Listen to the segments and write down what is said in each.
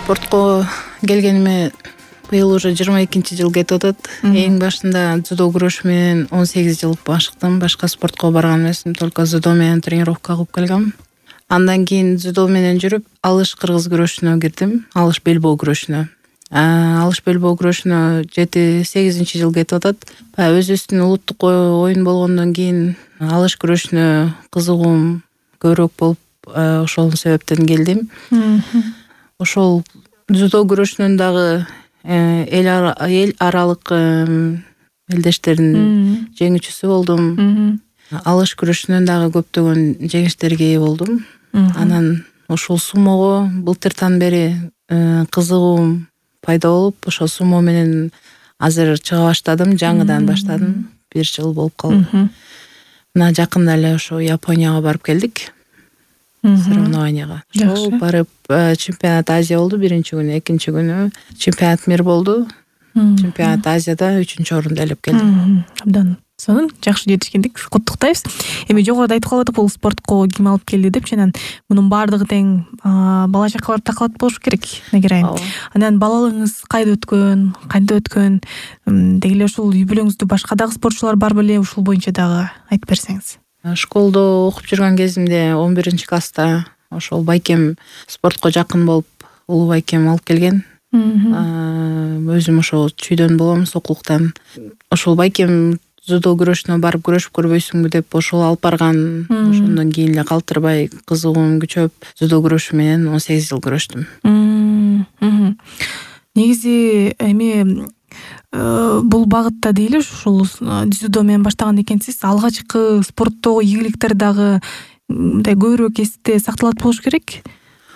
Спортко келгениме быйыл уже 22-жыл кетип атат. Эң башында дзюдо күрөш менен 18 жыл башыктым. Башка спортко барган эмесмин, только дзюдо менен тренировка кылып келгем. Андан кийин дзюдо менен жүрүп, алыш кыргыз күрөшүнө кирдим. Алыш белбоо күрөшүнө. Алыш белбоо күрөшүнө 7-8 жыл кетип атат. Өзүбүздүн улуттук оюн болгондон кийин алыш күрөшүнө кызыгуум көбүрөөк болуп, ошол себептен келдим. Ошол дзюдо күрөшүнөн дагы эл аралык элдештердин жеңүүчүсү болдум. Алыш күрөшүнөн дагы көптөгөн жеңиштерге ээ болдум. Анан ушул сумого былтыртан бери кызыгуум пайда болуп, ошол сумо менен азыр чыга баштадым, жаңыдан баштадым. 1 жыл болуп калды. Мына жакында эле ошо Японияга барып келдик. Соревнованияга. Ошол барып чемпионат Азия болду 1-күнү, 2-күнү чемпионат мир болду. Чемпионат Азияда 3-орунду ээлеп келдим. Абдан сонун, жакшы жетишкендик. Куттуктайбыз. Эми жогоруда айтып калдык, бул спортко ким алып келди деп, анан мунун баардыгы тең бала жакка барып такалат болуш керек, Нагирайым. Анан балалыгыңыз кайда өткөн, кантип өткөн? Деги эле ушул үй бүлөңүздө башка дагы спортчулар бар беле? Ушул боюнча дагы айтып берсеңиз. Школдо окуп жүргөн кезимде 11-класста ошол байкем спортко жакын болуп, улуу байкем алып келген. Өзүм ошол чүйдөн болом, Сокулуктан. Ошол байкем дзюдо күрөшүнө барып күрөшүп көрбөйсүңбү деп ошол алып барган. Ошондон кийин эле калтырбай кызыгуум күчөп, дзюдо күрөшү менен 18 жыл күрөштүм. Негизи эми бул багытта дейли, ушул дзюдо менен баштаган экенсиз. Алгачкы спорттогу ийгиликтер дагы мындай көбүрөөк эсте сакталат болуш керек.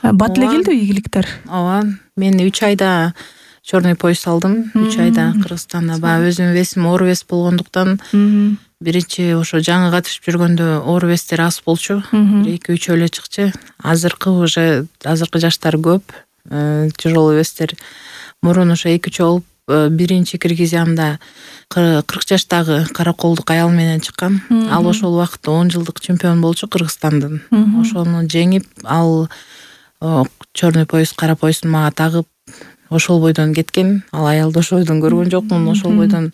Бат эле келдиби ийгиликтер? Ооба, мен 3 айда черный пояс алдым. 3 айда Кыргызстанда. Өзүмдүн весим оор вес болгондуктан биринчи ошо жаңы катышып жүргөндө оор вестер аз болчу. 2-3 эле чыкчу. Азыркы жаштар көп. Тяжелый вестер мурун ошо 2-3 болуп, биринчи Киргизиямда 40 жаштагы караколдук аял менен чыккан. Ал ошол убакытта 10 жылдык чемпион болчу Кыргызстандын. Ошону жеңип, ал черный пояс, кара поясын мага тагып, ошол бойдон кеткен. Ал аялды ошол бойдон көргөн жокмун. Ошол бойдон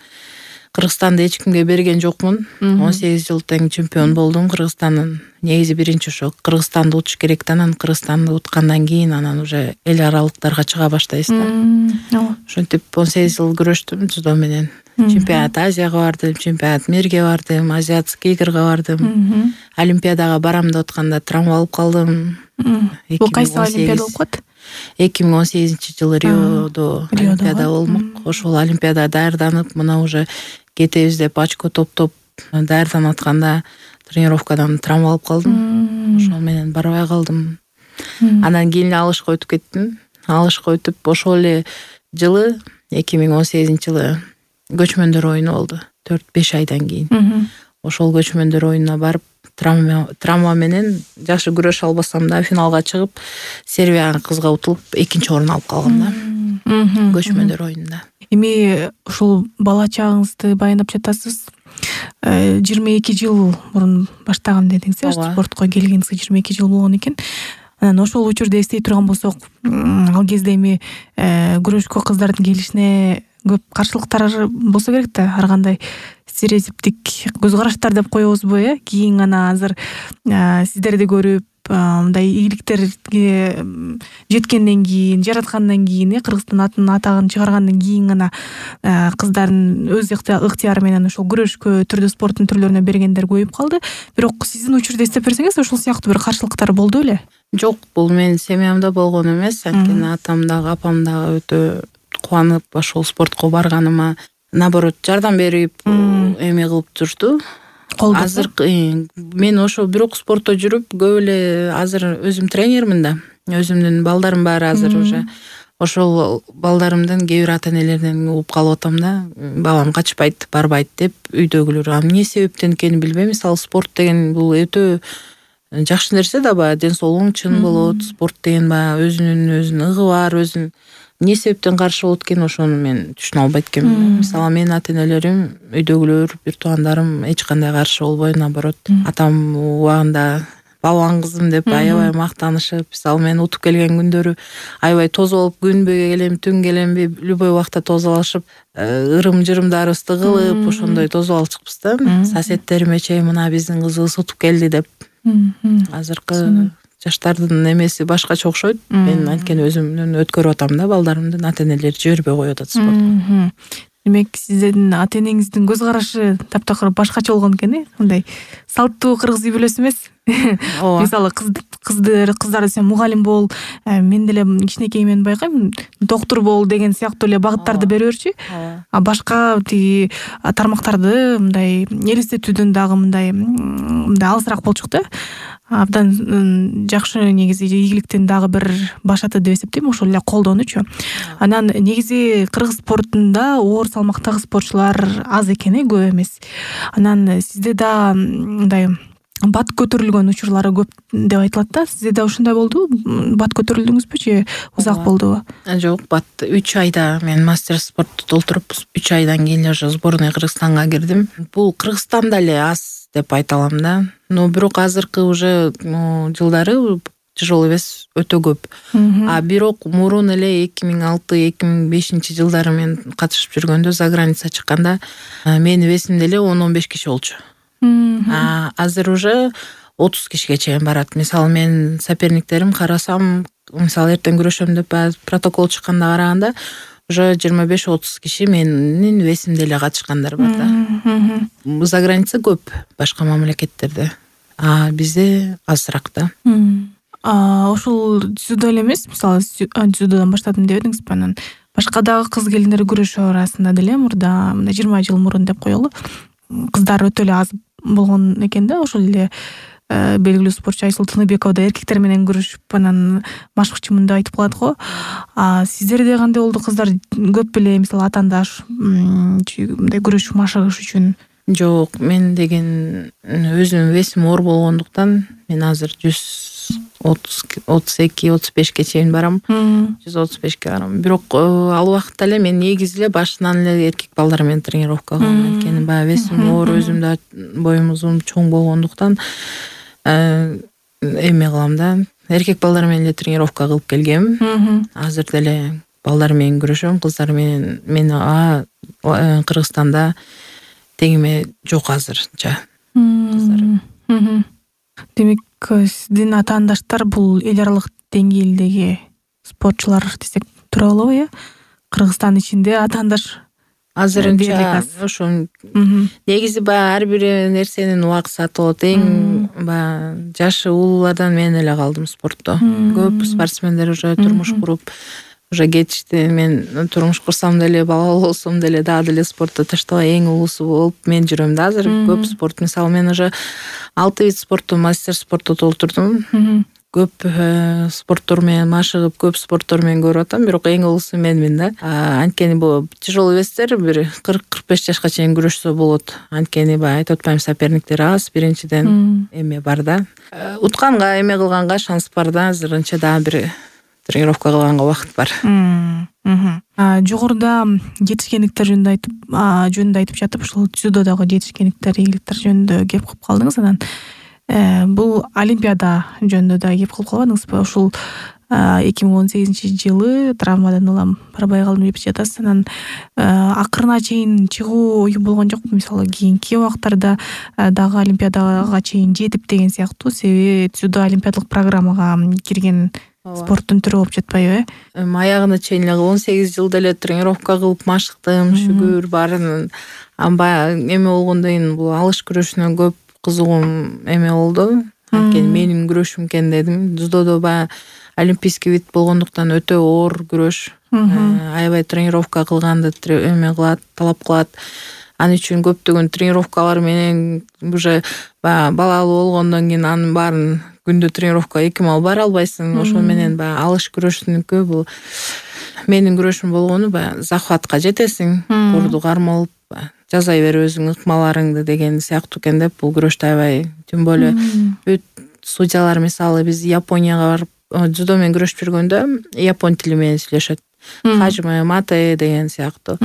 Кыргызстанды эч кимге берген жокмун. 18 жыл тең чемпион болдум Кыргызстандын. Негизи биринчи ошо Кыргызстанды утуш керек, анан Кыргызстанды уткандан кийин анан уже эл аралыктарга чыга баштайсыз да. Ошентип 18 жыл күрөштүм дзюдо менен. Чемпионат Азияга бардым, чемпионат мирге бардым, азиатский игрга бардым. Олимпиадага барам деп атканда травма алып калдым. Бул кайсы олимпиада болуп калат? 2018-жылы Риодо олимпиада болмок. Ошол олимпиадага даярданып, мына уже кетебиз деп очко топтоп даярданып атканда тренировкадан травма алып калдым. Ошол менен барбай калдым. Андан кийин алышка өтүп кеттим. Алышка өтүп, ошол эле жылы 2018-жылы көчмөндөр оюну болду. 4-5 айдан кийин. Ошол көчмөндөр оюнуна барып, травма менен жакшы күрөшө албасам да финалга чыгып, Сербияга кызга утулуп 2-орун алып калгам да. Көчмөндөр оюнунда. Эми ушул бала чагыңызды баяндап жатасыз. 22 жыл мурун баштаган дедиңиз, спортко келгениңизге 22 жыл болгон экен. Анан ошол учурда эстей турган болсок, ал кезде эми күрөшкө кыздардын келишине көп каршылыктар болсо керек да, ар кандай стереотиптик көз караштар деп коебузбу, Кийин гана азыр сиздерди көрүп, мындай ийгиликтерге жеткенден кийин, жараткандан кийин, Кыргызстан атагын чыгаргандан кийин гана кыздардын өз ыктыяры менен ошол күрөшкө, түрдүү спорттун түрлөрүнө бергендер көбөйүп калды. Бирок сиздин учурда эстеп берсеңиз, ошол сыяктуу бир каршылыктар болду беле? Жок, бул менин семьямда болгон эмес. Анткени атам дагы, апам дагы өтө кубанып ошол спортко барганыма, наоборот, жардам берип, эме кылып турду. Азыр мен ошо бирок спортто жүрүп, көп эле азыр өзүм тренермин да. Өзүмдүн балдарым бар азыр уже. Ошол балдарымдын кээ бир ата-энелеринен угуп калып атам да. Балам качпайт, барбайт деп үйдөгүлөр. Эмне себептен экенин билбейм. Мисалы спорт деген бул өтө жакшы нерсе да, ден соолугуң чын болот. Спорт деген өзүнүн ыгы бар, өзүнүн эмне себептен каршы болот экен, ошону мен түшүнө албайт экенмин. Мисалы менин ата-энелерим, үйдөгүлөр, бир туугандарым эч кандай каршы болбой, наоборот, атам убагында балбан кызым деп аябай мактанышып, мисалы мен утуп келген күндөрү аябай тосуп алып күнбү келем, түн келемби любой убакта тосуп алышып, ырым-жырымдарыбызды кылып ошондой тосуп алчыкпыз да. Соседтериме чейин мына биздин кызыбыз утуп келди деп. Азыркы жаштардын эмеси башкача окшойт. Мен анткени өзүмдүн өткөрүп атам да балдарымдын, ата-энелери жибербей коюп атат спортко. Демек сиздин ата-энеңиздин көз карашы таптакыр башкача болгон экен, мындай салттуу кыргыз үй бүлөсү эмес. Мисалы кыздар десем мугалим бол, мен деле кичинекейимен байкайм, доктор бол деген сыяктуу эле багыттарды бере берчү. А башка тиги тармактарды мындай элестетүүдөн дагы мындай алысыраак болчук да. Абдан жакшы негизи ийгиликтин дагы бир башаты деп эсептейм, ошол эле колдонуучу. Анан негизи кыргыз спортунда оор салмактагы спортчулар аз экен, көп эмес. Анан сизде да мындай бат көтөрүлгөн учурлары көп деп айтылат да. Сизде да ушундай болдубу? Бат көтөрүлдүңүзбү же узак болдубу? Жок, бат 3 айда мен мастер спорту толтуруп 3 айдан кийин уже сборной Кыргызстанга кирдим. Бул Кыргызстанда эле аз деп айта алам да. Но бирок азыркы уже жылдары тяжелый вес өтө көп. А бирок мурун эле 2006-2005 жылдары мен катышып жүргөндө за граница чыкканда менин весимде эле 10-15 киши болчу. Азыр уже 30 кишиге чейин барат. Мисалы мен соперниктерим карасам, мисалы эртең күрөшөм деп протокол чыкканда караганда уже 25-30 киши менин весимде эле катышкандар бар да. За граница көп башка мамлекеттерде, а бизде азыраак да. Ошол дзюдо эле эмес, мисалы дзюдодон баштадым деп едиңизби, анан башка дагы кыз келиндер күрөшүү арасында деле мурда 20 жыл мурун деп коелу, кыздар өтө эле аз болгон экен да. Ошол эле белгилүү спортчу Айсул Тыныбекова да эркектер менен күрөшүп анан машыкчымын деп айтып калат го. Сиздерде кандай болду? Кыздар көп беле, мисалы атаандаш мындай күрөшүп машыгыш үчүн? Жок, мен деген өзүм весим оор болгондуктан мен азыр 132-35ке чейин барам. 135ке барам. Бирок ал убакытта эле мен негизи эле башынан эле эркек балдар менен тренировка кылгам. Анткени баягы весим оор, өзүм да боюм узун, чоң болгондуктан эме кылам да. Эркек балдар менен эле тренировка кылып келгем. Азыр деле балдар менен күрөшөм, кыздар менен мен Кыргызстанда теңиме жок азырча кыздар. Демек сиздин атаандаштар бул эл аралык деңгээлдеги спортчулар десек туура болобу? Кыргызстан ичинде атаандаш азырынча ошо негизи баягы ар бир нерсенин убакыты болот. Эң баягы жашы улуулардан мен эле калдым спортто. Көп спортсмендер уже турмуш куруп уже кетишти. Мен турмуш курсам деле, балалуу болсом деле дагы деле спортто таштабай эң улуусу болуп мен жүрөм да азыр. Көп спорт, мисалы мен уже 6 вид спортту мастер спортто толтурдум. Көп спорттор менен машыгып, көп спорттор менен көрүп атам, бирок эң улуусу менмин да. Анткени бул тяжелый вестер бир 40-45 жашка чейин күрөшсө болот. Анткени баягы айтып атпайм, соперниктер аз, биринчиден эме бар да. Утканга, эме кылганга шанс бар да, азырынча дагы бир тренировка кылганга убакыт бар. Жогоруда жетишкендиктер жөнүндө айтып жатып, ушул дзюдодогу жетишкендиктер, ийгиликтер жөнүндө кеп кылып калдыңыз. Анан бул олимпиада жөнүндө да кеп кылып калбадыңызбы? Ушул 2018-жылы травмадан улам барбай калдым деп жатасыз. Анан акырына чейин чыгуу ою болгон жокпу? Мисалы кийинки убактарда дагы олимпиадага чейин жетип деген сыяктуу, себеби дзюдо олимпиадалык программага кирген спорттун түрү болуп жатпайбы? Аягына чейин эле 18 жылда эле тренировка кылып машыктым, шүгүр баарын. Баягы эме болгондон кийин бул алыш күрөшүнө көп кызыгуум эме болду. Анткени менин күрөшүм экен дедим. Дзюдодо баягы олимпийский вид болгондуктан өтө оор күрөш. Аябай тренировка кылганды эме кылат, талап кылат. Ал үчүн көптөгөн тренировкалар менен уже балалуу болгондон кийин анын баарын күндө тренировка 2 мал бара албайсың. Ошол менен баягы алыш күрөшүнүкү бул менин күрөшүм болгону баягы захватка жетесиң, курду кармалып жасай бер өзүң ыкмаларыңды деген сыяктуу экен деп бул күрөштү аябай. Тем более бүт судьялар, мисалы биз Японияга барып дзюдо менен күрөшүп жүргөндө япон тили менен сүйлөшөт. Хажиме мате деген сыяктуу.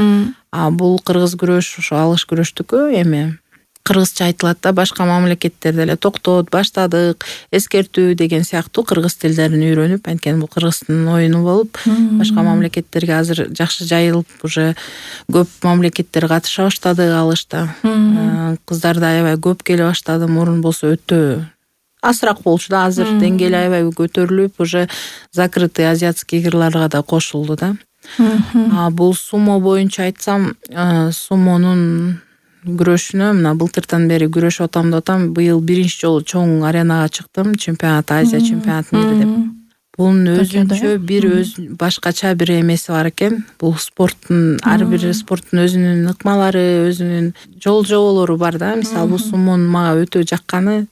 А бул кыргыз күрөш, ошо алыш күрөштүкү эме кыргызча айтылат да, башка мамлекеттерде эле токтот, баштадык, эскертүү деген сыяктуу кыргыз тилдерин үйрөнүп, анткени бул кыргыздын оюну болуп, башка мамлекеттерге азыр жакшы жайылып, уже көп мамлекеттер катыша баштады алышта. Кыздар да аябай көп келе баштады. Мурун болсо өтө азыраак болчу да, азыр деңгээли аябай көтөрүлүп, уже закрытый азиатский игрларга да кошулду да. Бул сумо боюнча айтсам, сумонун күрөшүнө мына былтырдан бери күрөшүп атам деп атам. Быйыл биринчи жолу чоң аренага чыктым, чемпионат, Азия чемпионаты мири деп. Бунун өзүнчө бир башкача бир эмеси бар экен. Бул спорттун, ар бир спорттун өзүнүн ыкмалары, өзүнүн жол-жоболору бар да. Мисалы, бул сумонун мага өтө жакканы,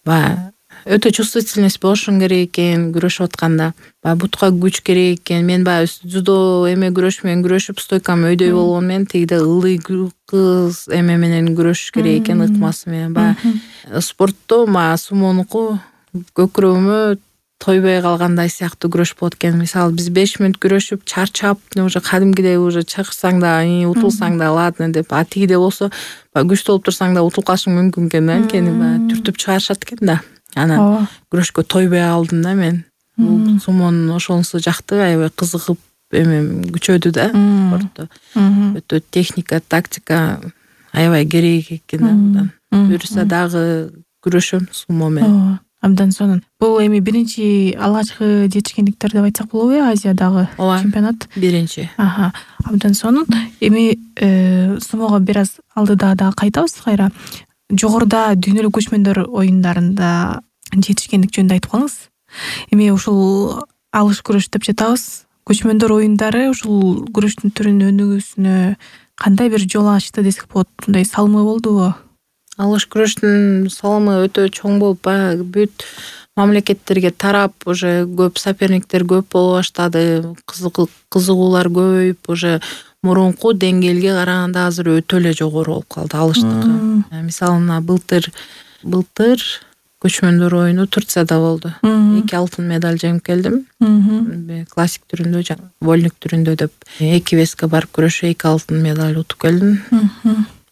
баягы өтө чувствительность болушуң керек экен күрөшүп атканда. Баягы бутка күч керек экен. Мен баягы жудо эме күрөш менен күрөшүп, стойкам өйдөй болгон менен тегиде ылдый кыз эме менен күрөшүш керек экен, ыкмасы менен. Баягы спортто мага сумонуку көкүрөгүмө тойбой калгандай сыяктуу күрөш болот экен. Мисалы, биз 5 мүнөт күрөшүп, чарчап, уже кадимгидей уже чакырсаң да, утулсаң да ладно деп, тигиде болсо күчтүү болуп турсаң да утулуп калышың мүмкүн экен да, анткени баягы түртүп чыгарышат экен да. Анан күрөшкө тойбой калдым да мен. Бул сумонун ошонусу жакты, аябай кызыгып эме күчөдү да спортто. Өтө техника, тактика аябай керек экен да мындан. Буюрса дагы күрөшөм сумо менен. Абдан сонун. Бул эми биринчи алгачкы жетишкендиктер деп айтсак болобу, Азиядагы чемпионат? Биринчи. Абдан сонун. Эми сумого бир аз алдыда дагы кайтабыз кайра. Жогоруда дүйнөлүк көчмөндөр оюндарында жетишкендик жөнүндө айтып калыңыз. Эми ушул алыш күрөш деп жатабыз. Көчмөндөр оюндары ушул күрөштүн түрүнүн өнүгүүсүнө кандай бир жол ачты десек болот? Мындай салымы болдубу? Алыш күрөштүн салымы өтө чоң болуп, баягы бүт мамлекеттерге тарап, уже көп соперниктер көп боло баштады, кызыгуулар көбөйүп, уже мурунку деңгээлге караганда азыр өтө эле жогору болуп калды алыштыкы. Мисалы, мына былтыр көчмөндөр оюну Турцияда болду. 2 алтын медаль жеңип келдим. Классик түрүндө, вольник түрүндө деп 2 веске барып күрөшүп 2 алтын медаль утуп келдим.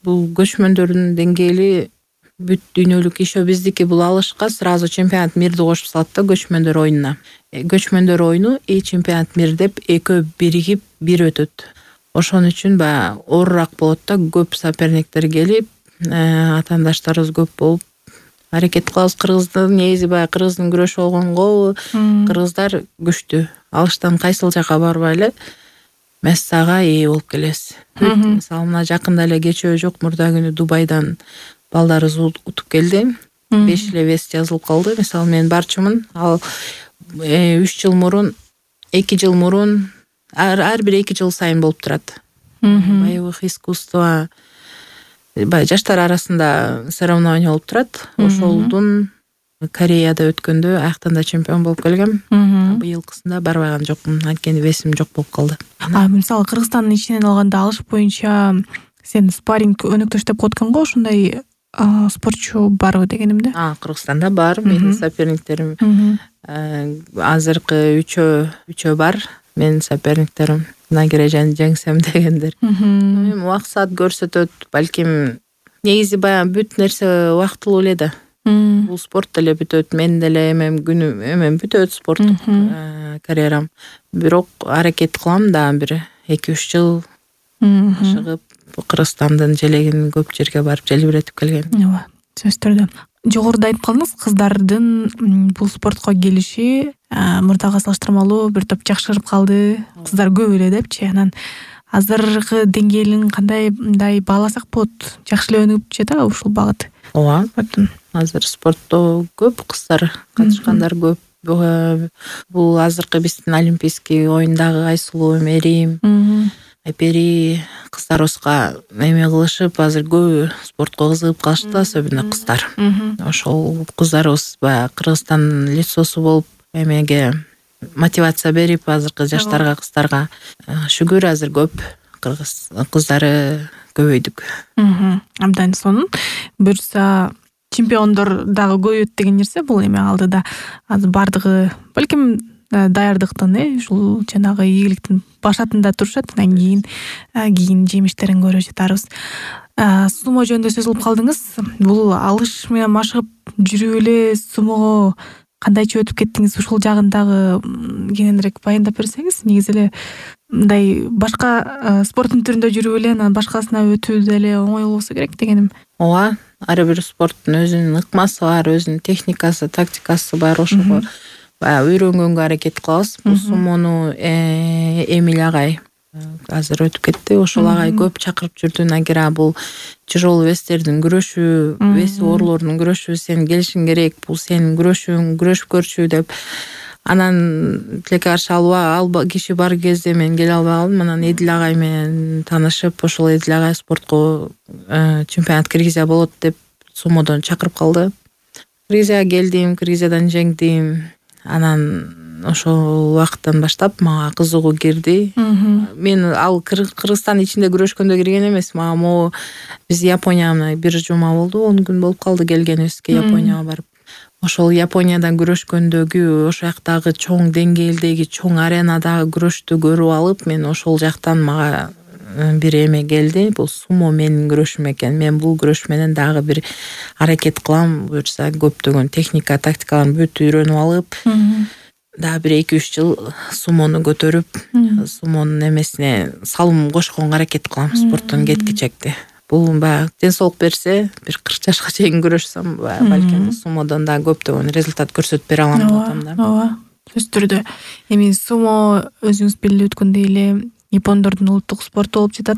Бул көчмөндөрдүн деңгээли бүт дүйнөлүк ишөө биздики бул алышка сразу чемпионат мирди кошуп салат да көчмөндөр оюнуна. Көчмөндөр оюну и чемпионат мир деп экөө биригип бир өтөт. Ошон үчүн баягы оорураак болот да, көп соперниктер келип, атаандаштарыбыз көп болуп аракет кылабыз. Кыргыздын негизи баягы кыргыздын күрөшү болгонго, кыргыздар күчтүү. Алыштан кайсыл жака барбай эле мессага ээ болуп келебиз. Мисалы, мына жакында эле кечөө жок, мурда күнү Дубайдан балдарыбыз утуп келди. 5 эле вес жазылып калды. Мисалы, мен барчумун. Ал 3 жыл мурун, 2 жыл мурун, ар бир 2 жыл сайын болуп турат. Боевых искусство, баягы жаштар арасында соревнование болуп турат. Ошолдун Кореяда өткөндө аяктан да чемпион болуп келгем. Быйылкысында барбаган жокмун, анткени весим жок болуп калды. Мисалы, Кыргызстандын ичинен алганда алыш боюнча сен спарринг өнөктөш деп коет экен го, ошондой спортчу барбы дегенимде? Кыргызстанда бар, менин соперниктерим. Азыркы үчөө бар. Менин соперниктерим нагережени жеңсем дегендер. Максат көрсөтөт, балким негизи баягы бүт нерсе убактылуу эле да. Бул спорт деле бүтөт, мен деле күнүм бүтөт спорттук карьерам. Бирок аракет кылам да бир 2-3 жыл ашыгып Кыргызстандын желегин көп жерге барып желбиретип келгем. Ооба, сөзсүз түрдө. Жогоруда айтып калдыңыз, кыздардын бул спортко келиши мурдага салыштырмалуу бир топ жакшырып калды, кыздар көп эле депчи. Анан азыркы деңгээлин кандай мындай бааласак болот? Жакшы эле өнүгүп жатабы ушул багыт? Ооба, азыр спортто көп кыздар катышкандар көп. Бул азыркы биздин олимпийский оюндагы Айсулуу, Мерим, Айпери кыздарыбызга эме кылышып, азыр көбү спортко кызыгып калышты, особенно кыздар. Ошол кыздарыбыз баягы Кыргызстандын лицосу болуп, эмеге мотивация берип, азыркы жаштарга, кыздарга шүгүр азыр көп кыргыз кыздары көбөйдүк. Абдан сонун. Буюрса чемпиондор дагы көбөйөт деген нерсе бул эме алдыда. Азыр бардыгы балким даярдыктын, ушул жанагы ийгиликтин башатында турушат, анан кийин жемиштерин көрө жатарбыз. Сумо жөнүндө сөз кылып калдыңыз. Бул алыш менен машыгып жүрүп эле сумого кандайча өтүп кеттиңиз? Ушул жагын дагы кененирээк баяндап берсеңиз. Негизи эле мындай башка спорттун түрүндө жүрүп эле анан башкасына өтүү деле оңой болбосо керек дегеним. Ооба, ар бир спорттун өзүнүн ыкмасы бар, өзүнүн техникасы, тактикасы бар. Ошого баягы үйрөнгөнгө аракет кылабыз. Бул сумону Эмиль агай азыр өтүп кетти. Ошол агай көп чакырып жүрдү. Нагира бул тяжелый вестердин күрөшү, веси оорлордун күрөшү, сен келишиң керек, бул сенин күрөшүң, күрөшүп көрчү деп. Анан тилекке каршы ал киши бар кезде мен келе албай калдым. Анан Эдил агай менен таанышып, ошол Эдил агай спортко чемпионат Кыргызия болот деп сумодон чакырып калды. Кыргызияга келдим, Кыргызиядан жеңдим. Анан ошол убакыттан баштап мага кызыгуу кирди. Мен ал Кыргызстандын ичинде күрөшкөндө кирген эмес. Мага могу биз Японияга бир жума болду, 10 күн болуп калды келгенибизге Японияга барып. Ошол Япониядан күрөшкөндөгү ошол жактагы чоң деңгээлдеги, чоң аренадагы күрөштү көрүп алып, мен ошол жактан мага бир эме келди. Бул сумо менин күрөшүм экен. Мен бул күрөш менен дагы бир аракет кылам. Буюрса көптөгөн техника, тактикаларын бүт үйрөнүп алып, дагы бир 2-3 жыл сумону көтөрүп, сумонун эмесине салым кошконго аракет кылам спорттон кеткичекти. Бул баягы ден соолук берсе, бир 40 жашка чейин күрөшсөм, балким сумодон да көптөгөн результат көрсөтүп бере алам деп атам да. Ооба, сөзсүз түрдө. Эми сумо өзүңүз белгилеп өткөндөй эле япондордун улуттук спорту болуп жатат.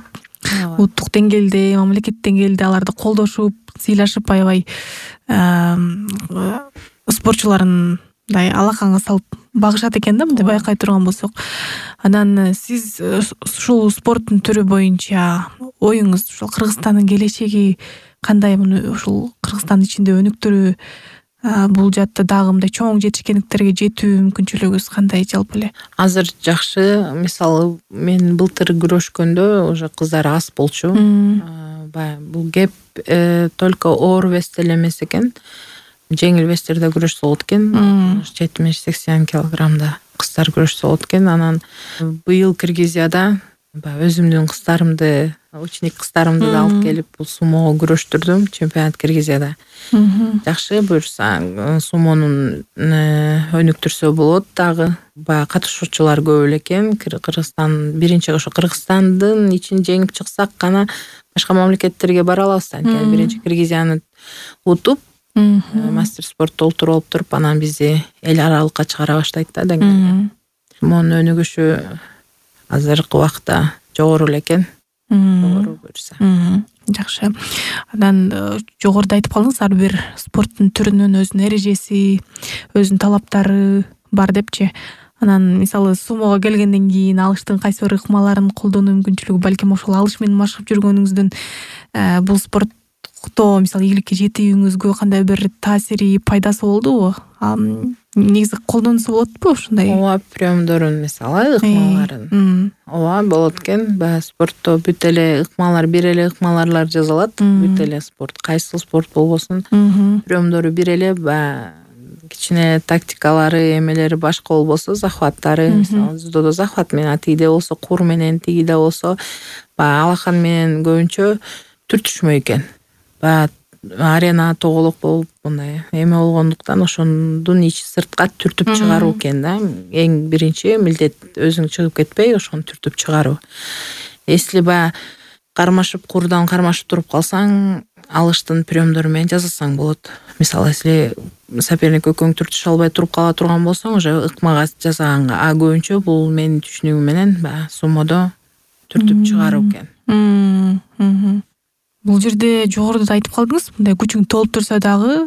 Улуттук деңгээлде, мамлекет деңгээлде аларды колдошуп, сыйлашып аябай спортчуларын мындай алаканга салып багышат экен да, мындай байкай турган болсок. Анан сиз ушул спорттун түрү боюнча оюңуз ушул Кыргызстандын келечеги кандай? Муну ушул Кыргызстандын ичинде өнүктүрүү, бул жакта дагы мындай чоң жетишкендиктерге жетүү мүмкүнчүлүгүңүз кандай жалпы эле? Азыр жакшы. Мисалы, мен былтыр күрөшкөндө уже кыздар аз болчу. Бул кеп только оор весте эле эмес экен. Жеңил вестерде күрөшсө болот экен. 70-80 килограммда кыздар күрөшсө болот экен. Анан быйыл Кыргызияда өзүмдүн кыздарымды, ученик кыздарымды да алып келип бул сумого күрөштүрдүм чемпионат Кыргызияда. Жакшы, буюрса сумонун өнүктүрсө болот дагы. Баягы катышуучулар көп эле экен. Кыргызстан биринчи ошо Кыргызстандын ичин жеңип чыксак гана башка мамлекеттерге бара алабыз. Анткени биринчи Кыргызияны утуп, мастер спортто олтуруп алып туруп, анан бизди эл аралыкка чыгара баштайт да деңгээлге. Сумонун өнүгүшү азыркы убакта жогору эле экен. Жогору буюрса. Жакшы. Анан жогоруда айтып калдыңыз, ар бир спорттун түрүнүн өзүнүн эрежеси, өзүнүн талаптары бар депчи. Анан мисалы сумого келгенден кийин алыштын кайсы бир ыкмаларын колдонуу мүмкүнчүлүгү, балким ошол алыш менен машыгып жүргөнүңүздүн бул спортто мисалы ийгиликке жетүүңүзгө кандай бир таасири, пайдасы болдубу? Негизи колдонсо болотпу ушундай? Ооба, приемдорун мисалы, ыкмаларын. Ооба, болот экен. Баягы спортто бүт эле ыкмалар, бир эле ыкмаларлар жасалат. Бүт эле спорт, кайсы спорт болбосун, приемдору бир эле. Баягы кичине тактикалары, эмелери башка болбосо, захваттары, мисалы дзюдодо захват менен, тигиде болсо кур менен, тигиде болсо баягы алакан менен көбүнчө түртүшмөй экен. Баягы арена тоголок болуп, мындай эме болгондуктан ошондун ичи сыртка түртүп чыгаруу экен да. Эң биринчи милдет өзүң чыгып кетпей, ошону түртүп чыгаруу. Если баягы кармашып, курдан кармашып туруп калсаң, алыштын приемдору менен жасасаң болот. Мисалы, если соперник экөөң түртүшө албай туруп кала турган болсоң, уже ыкмага жасаганга. Көбүнчө бул менин түшүнүгүм менен баягы сумодо түртүп чыгаруу экен. Бул жерде жогоруда да айтып калдыңыз, мындай күчүң толуп турса дагы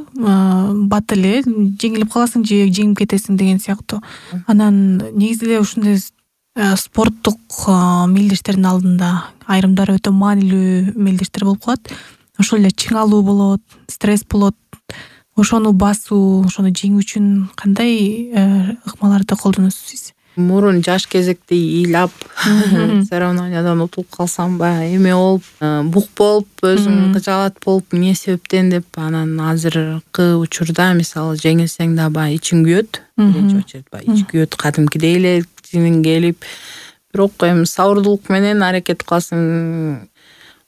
бат эле жеңилип каласың же жеңип кетесиң деген сыяктуу. Анан негизи эле ушундай спорттук мелдештердин алдында айрымдары өтө маанилүү мелдештер болуп калат. Ошол эле чыңалуу болот, стресс болот. Ошону басуу, ошону жеңүү үчүн кандай ыкмаларды колдоносуз сиз? Мурун жаш кезекте ыйлап, соревнованиядан утулуп калсам, баягы эме болуп, бук болуп, өзүм кыжаалат болуп, эмне себептен деп. Анан азыркы учурда мисалы жеңилсең да баягы ичиң күйөт. Биринчи очередь баягы ич күйөт, кадимкидей эле тинин келип, бирок эми сабырдуулук менен аракет кыласың.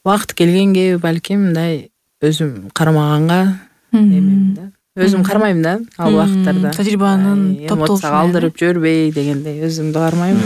убакыт келгенге балким мындай өзүм кармаганга эмем да. Өзүм кармайм да ал убакыттарда. Тажрыйбанын топтолушуна эмоцияга алдырып жибербей дегендей өзүмдү кармайм.